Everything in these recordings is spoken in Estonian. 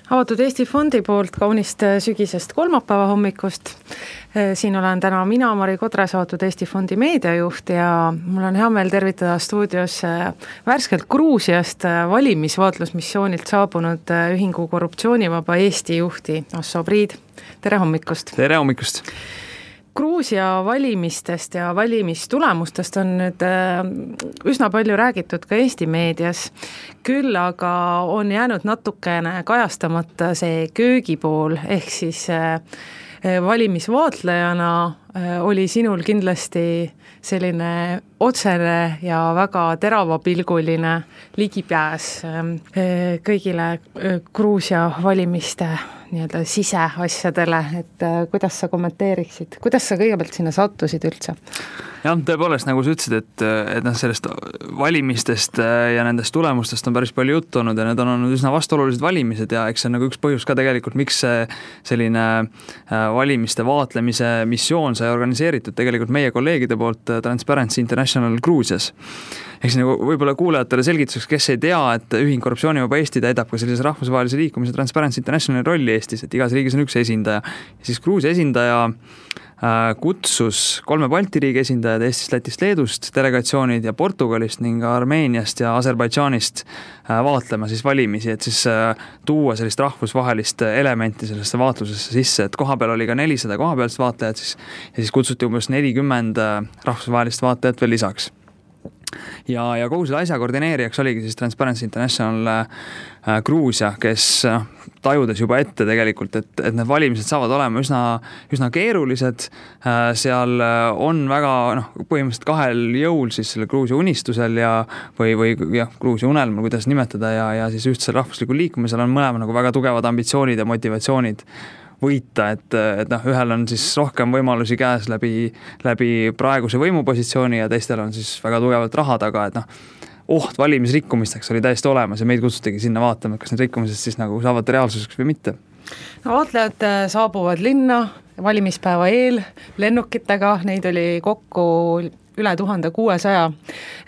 Avatud Eesti Fondi poolt kaunist sügisest kolmapäeva hommikust. Siin olen täna mina, Mari Kodres, Avatud Eesti Fondi meediajuht ja mul on hea meel tervitada stuudios värskelt Gruusiast valimisvaatlusmissioonilt saabunud ühingu Korruptsioonivaba Eesti juhti Asso Priid. Tere hommikust! Tere hommikust! Gruusia valimistest ja valimistulemustest on nüüd üsna palju räägitud ka Eesti meedias, küll aga on jäänud natukene kajastamata see köögipool, ehk siis valimisvaatlejana oli sinul kindlasti selline otsene ja väga teravapilguline ligipääs kõigile Gruusia valimiste nii-öelda siseasjadele, et kuidas sa kommenteeriksid, kuidas sa kõigepealt sinna sattusid üldse? Jah, tõepoolest, nagu sa ütlesid, et sellest valimistest ja nendest tulemustest on päris palju juttu olnud ja need on olnud üsna vastuolulised valimised ja eks see on nagu üks põhjus ka tegelikult, miks selline valimiste vaatlemise missioon sai organiseeritud tegelikult meie kolleegide poolt Transparency International Gruusias. Eks nagu võib-olla kuulajatele selgituseks, kes ei tea, et ühing Korruptsioonivaba Eesti täidab ka sellise rahvusvahelise liikumise Transparency Internationali rolli Eestis, et igas riigis on üks esindaja. Ja siis Gruusia esindaja kutsus 3 Balti riigi esindajad Eestist, Lätist, Leedust, delegatsioonid ja Portugalist ning Armeeniast ja Aserbaidžaanist vaatlema siis valimisi, et siis tuua sellist rahvusvahelist elementi sellesse vaatlusesse sisse, et kohapeal oli ka 400 kohapealist vaatlejat siis, ja siis kutsuti umbes 40 rahvusvahelist vaatlejat veel lisaks. Ja kogu selle asja koordineerijaks oligi siis Transparency International Gruusia, kes tajudes juba ette tegelikult, et need valimised saavad olema üsna keerulised. Seal on väga põhimõtteliselt kahel jõul siis selle Gruusia unistusel või Gruusia unelmal, kuidas nimetada, ja siis ühtsel rahvuslikul liikumisel on mõlema nagu väga tugevad ambitsioonid ja motivatsioonid võita, et ühel on siis rohkem võimalusi käes läbi praeguse võimupositsiooni ja teistel on siis väga tugevalt raha taga, et oht valimisrikkumisteks oli täiesti olemas ja meid kutsutigi sinna vaatama, et kas need rikkumised siis nagu saavad reaalsuseks või mitte. Vaatlejad saabuvad linna valimispäeva eel lennukitega, neid oli kokku üle 1600,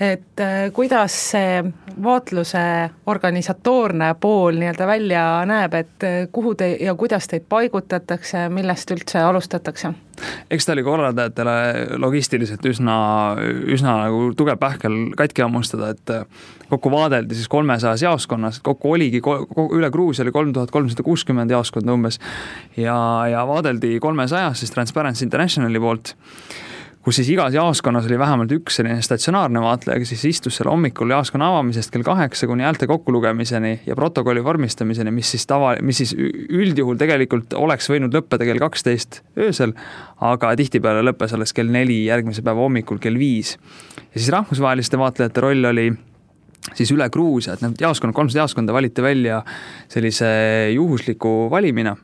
et kuidas see vaatluse organisatoorne pool nii-öelda välja näeb, et kuhu ja kuidas teid paigutatakse, millest üldse alustatakse? Eks ta oli korraldajatele logistiliselt üsna nagu tugev pähkel katki ammustada, et kokku vaadeldi siis 300 jaoskonnas, kokku oligi üle Gruusia oli 3360 jaoskonda umbes ja vaadeldi 300 siis Transparency Internationali poolt, kus siis igas jaoskonnas oli vähemalt üks selline statsionaarne vaatleja, kes siis istus selle hommikul jaoskonna avamisest kell 8 kuni häälte kokkulugemiseni ja protokolli vormistamiseni, mis siis üldjuhul tegelikult oleks võinud lõppeda kell 12 öösel, aga tihtipeale lõppes alles kell 4 järgmise päeva hommikul kell 5. Ja siis rahvusvaheliste vaatlejate roll oli siis üle Gruusia, et need 300 jaoskonda valiti välja sellise juhusliku valimina.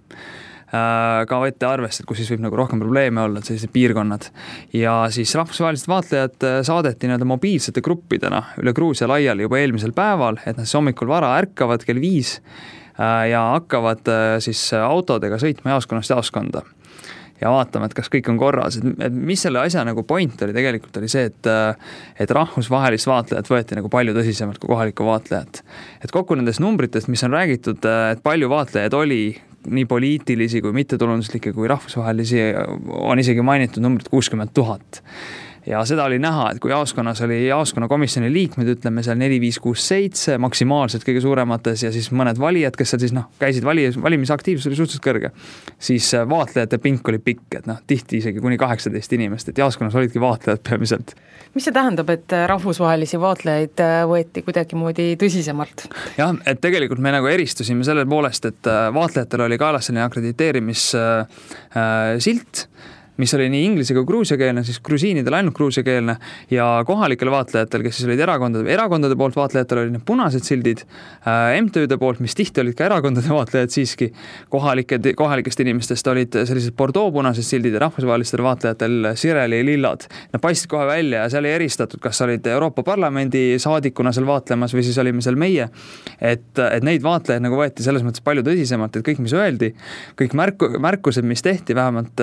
Ka võette arvest, et kus siis võib nagu rohkem probleeme olla, et sellised piirkonnad. Ja siis rahvusvahelised vaatlejad saadeti mobiilsete gruppidena üle Gruusia laiali juba eelmisel päeval, et nad siis hommikul vara ärkavad kell 5 ja hakkavad siis autodega sõitma jaoskonnast jaoskonda. Ja vaatame, et kas kõik on korras. Et mis selle asja nagu point oli tegelikult oli see, et rahvusvahelist vaatlejat võeti nagu palju tõsisemalt kui kohalikku vaatlejat. Et kokku nendest numbritest, mis on räägitud, et palju vaatlejaid oli, nii poliitilisi kui mittetulunduslikke kui rahvusvahelisi, on isegi mainitud numbrit 60 000. Ja seda oli näha, et kui jaoskonnas oli jaoskonnakomisjoni liikmed, ütleme seal 4, 5, 6, 7, maksimaalselt kõige suuremates ja siis mõned valijad, kes seal siis käisid valimisaktiivsus oli suhteliselt kõrge, siis vaatlejate pink oli pikk, et tihti isegi kuni 18 inimest, et jaoskonnas olidki vaatlejad peamiselt. Mis see tähendab, et rahvusvahelisi vaatlejaid võeti kuidagimoodi tõsisemalt? Jah, et tegelikult me nagu eristusime selle poolest, et vaatlejatel oli kaelas selline akrediteerimissilt, mis oli nii inglise kui gruusiakeelne, siis grusiinidel ainult gruusiakeelne ja kohalikel vaatlejatel, kes siis olid erakondade poolt vaatlejatel olid need punased sildid, MTÜde poolt, mis tihti olid ka erakondade vaatlejad siiski, kohalikest inimestest olid sellised Bordeaux-punased sildid ja rahvusvahelistel vaatlejatel sireli lillad. Nad paistsid kohe välja ja seal ei eristatud, kas olid Euroopa Parlamendi saadikuna seal vaatlemas või siis olime seal meie, et neid vaatlejaid nagu võeti selles mõttes palju tõsisemalt, et kõik, mis öeldi, kõik märkused, mis tehti vähemalt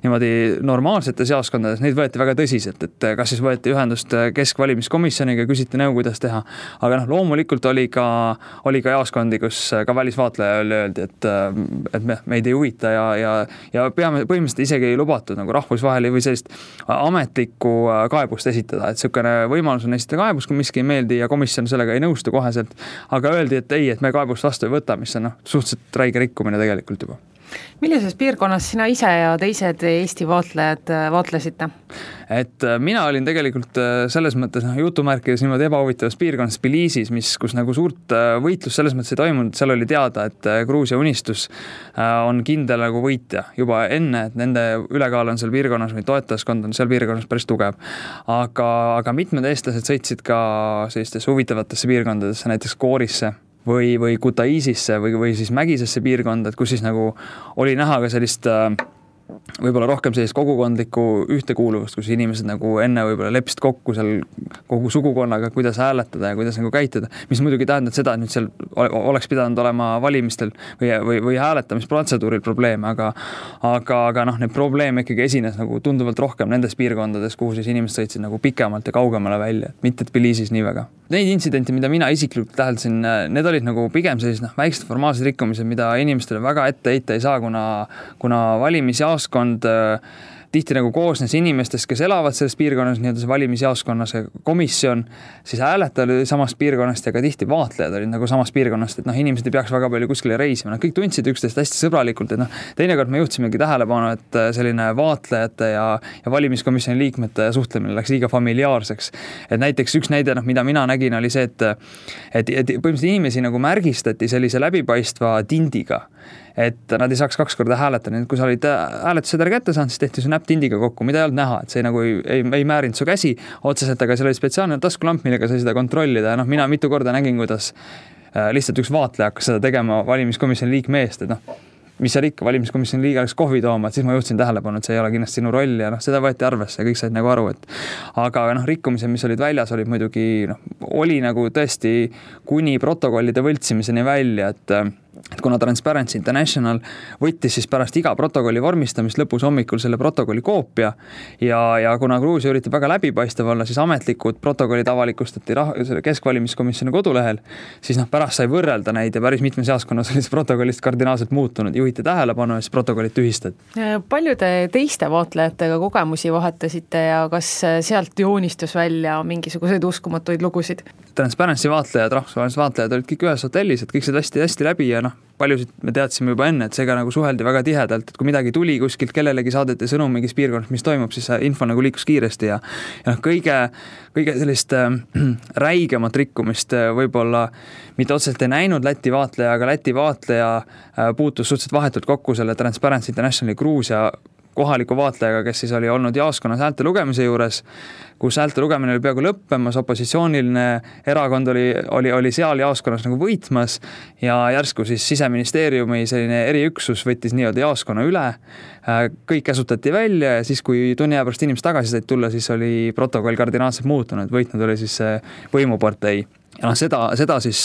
niimoodi niimoodi normaalsetes jaoskondades neid võeti väga tõsiselt, et kas siis võeti ühendust keskvalimiskomisjoniga, küsiti nõu, kuidas teha. Aga loomulikult oli ka jaoskondi, kus ka välisvaatlejale öeldi, et meid ei huvita ja peame põhimõtteliselt isegi ei lubatud nagu rahvusvaheli või sellist ametlikku kaebust esitada, et niisugune võimalus on esitada kaebus, kui miski ei meeldi ja komisjon sellega ei nõustu koheselt, aga öeldi, et ei, et me kaebust vastu ei võta, mis on suhteliselt räige rikkumine tegelikult juba. Millises piirkonnas sina ise ja teised Eesti vaatlejad vaatlesite? Et mina olin tegelikult selles mõttes jutumärkides niimoodi ebahuvitavas piirkonnas Tbilisis, kus nagu suurt võitlus selles mõttes ei toimunud, seal oli teada, et Gruusia Unistus on kindel nagu võitja juba enne, et nende ülekaal on seal piirkonnas või toetajaskond on seal piirkonnas päris tugev. Aga mitmed eestlased sõitsid ka sellistesse huvitavatesse piirkondadesse, näiteks Koorisse või Kutaisisse või siis Mägisesse piirkonda, et kus siis nagu oli näha ka sellist võib-olla rohkem sellist kogukondlikku ühtekuuluvust, kus inimesed nagu enne võib-olla leppisid kokku seal kogu sugukonnaga, kuidas hääletada ja kuidas nagu käituda, mis muidugi tähendab seda, et nüüd seal oleks pidanud olema valimistel või hääletamisprotseduuril probleeme, aga neid probleeme ikkagi esines nagu tunduvalt rohkem nendes piirkondades, kuhu siis inimesed sõitsid nagu pikemalt ja kaugemale välja, mitte Tbilisis nii väga. Neid intsidente, mida mina isiklikult täheldasin, need olid nagu pigem sellised väiksed formaalsed rikkumised, mida inimestele väga ette heita ei saa, kuna valimisjaoskond tihti nagu koosnes inimestest, kes elavad selles piirkonnas, nii-öelda see valimisjaoskonnas komisjon, siis hääletajad olid samast piirkonnast ja ka tihti vaatlejad olid nagu samast piirkonnast, et ei peaks väga palju kuskile reisima. Kõik tundsid üksteist hästi sõbralikult, et teinekord me juhtisimegi tähelepanu, et selline vaatlejate ja valimiskomisjoni liikmete suhtlemine läks liiga familiaarseks. Et näiteks üks näide, mida mina nägin, oli see, et põhimõtteliselt inimesi nagu märgistati sellise läbipaistva tindiga, et nad ei saaks 2 korda hääletada, kui sa olid hääletussedeli kätte saanud, siis tehti su näpp tindiga kokku, mida ei olnud näha, et see nagu ei määrinud su käsi otseselt, aga seal oli spetsiaalne taskulamp, millega sai seda kontrollida ja mina mitu korda nägin, kuidas lihtsalt üks vaatleja hakkas seda tegema valimiskomisjoni liikme eest, et mis seal ikka, valimiskomisjoni liige läks kohvi tooma, et siis ma juhtisin tähelepanu, et see ei ole kindlasti sinu roll ja seda võeti arvesse ja kõik said nagu aru, aga rikkumised, mis olid väljas, olid muidugi, oli nagu tõesti kuni protokollide võltsimiseni välja, et kuna Transparency International võttis siis pärast iga protokolli vormistamist lõpus hommikul selle protokolli koopia ja kuna Gruusia üritab väga läbipaistev olla, siis ametlikud protokollid avalikustati keskvalimiskomisjoni kodulehel, siis pärast sai võrrelda neid ja päris mitmes jaoskonnas oli see protokollist kardinaalselt muutunud, juhiti tähelepanu ja siis protokollid tühistati. Paljude teiste vaatlejatega kogemusi vahetasite ja kas sealt joonistus välja mingisuguseid uskumatuid lugusid? Transparency vaatlejad, rahvusvahelised vaatlejad olid kõik ühes hotellis, et kõik said hästi läbi ja paljusid me teadsime juba enne, et seega nagu suheldi väga tihedalt, et kui midagi tuli kuskilt, kellelegi saadeti sõnum mingis piirkonnas, mis toimub, siis info nagu liikus kiiresti ja kõige sellist räigemat rikkumist võib-olla mitte otseselt ei näinud Läti vaatleja, aga Läti vaatleja puutus suhteliselt vahetult kokku selle Transparency Internationali Gruusia kohaliku vaatlejaga, kes siis oli olnud jaoskonnas häälte lugemise juures, kus häälte lugemine oli peaaegu lõppemas, opositsiooniline erakond oli seal jaoskonnas nagu võitmas ja järsku siis Siseministeeriumi selline eriüksus võttis nii-öelda jaoskonna üle, kõik käsutati välja ja siis, kui tunni aja pärast inimesed tagasi said tulla, siis oli protokoll kardinaalselt muutunud, võitnud oli siis võimupartei. Ja seda siis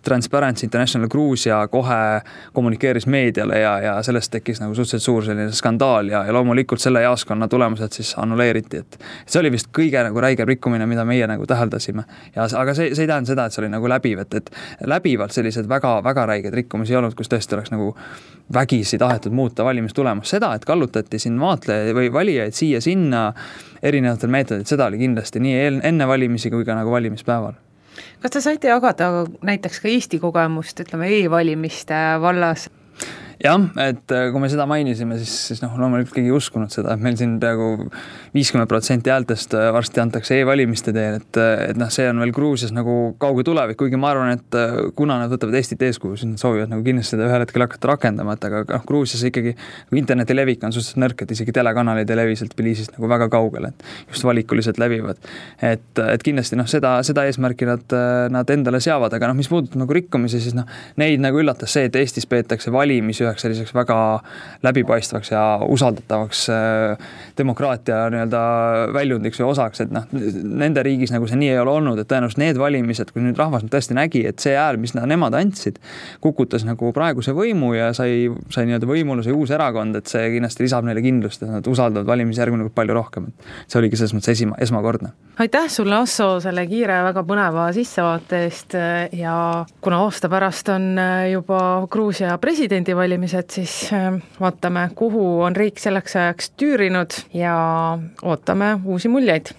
Transparency International Gruusia kohe kommunikeeris meediale ja sellest tekkis nagu suhteliselt suur selline skandaal ja loomulikult selle jaoskonna tulemused siis annuleeriti, et see oli vist kõige nagu räigem rikkumine, mida meie nagu täheldasime. Aga see ei tähenda seda, et see oli nagu läbiv, et läbivalt sellised väga, väga räiged rikkumisi ei olnud, kus tõesti oleks nagu vägisi tahetud muuta valimistulemus. Seda, et kallutati siin vaatlejaid või valijaid siia-sinna erinevatel meetodid, seda oli kindlasti nii enne valimisi kui ka nagu valimispäeval. Kas te saite jagada näiteks ka Eesti kogemust, ütleme e-valimiste vallas? Jah, et kui me seda mainisime, siis loomulikult keegi ei uskunud seda, et meil siin peaaegu 50% häältest varsti antakse e-valimiste teel, et see on veel Gruusias nagu kauge tulevik, kuigi ma arvan, et kuna nad võtavad Eestit eeskuju, siis nad soovivad nagu kindlasti seda ühel hetkel hakata rakendama, et aga Gruusias ikkagi interneti levik on suhteliselt nõrk, et isegi telekanalid ei levi sealt Tbilisist nagu väga kaugele, et just valikuliselt levivad. Et kindlasti seda eesmärki nad endale seavad, aga mis puudutab nagu rikkumisi, siis neid nagu üllatas see, et Eestis peetakse valimis üheks selliseks väga läbipaistvaks ja usaldatavaks demokraatia nii-öelda väljundiks või osaks, et nende riigis nagu see nii ei ole olnud, et tõenäoliselt need valimised, kui nüüd rahvas tõesti nägi, et see hääl, mis nemad andsid, kukutas nagu praeguse võimu ja sai nii-öelda võimule see uus erakond, et see kindlasti lisab neile kindlust, et nad usaldavad valimisjärgu nagu palju rohkem. See oligi selles mõttes esmakordne. Aitäh sulle, Asso, selle kiire väga põneva sissevaate eest ja kuna aasta pärast on juba Gruusia presidendivalimised, siis vaatame, kuhu on riik selleks ajaks tüürinud ja ootame uusi muljeid.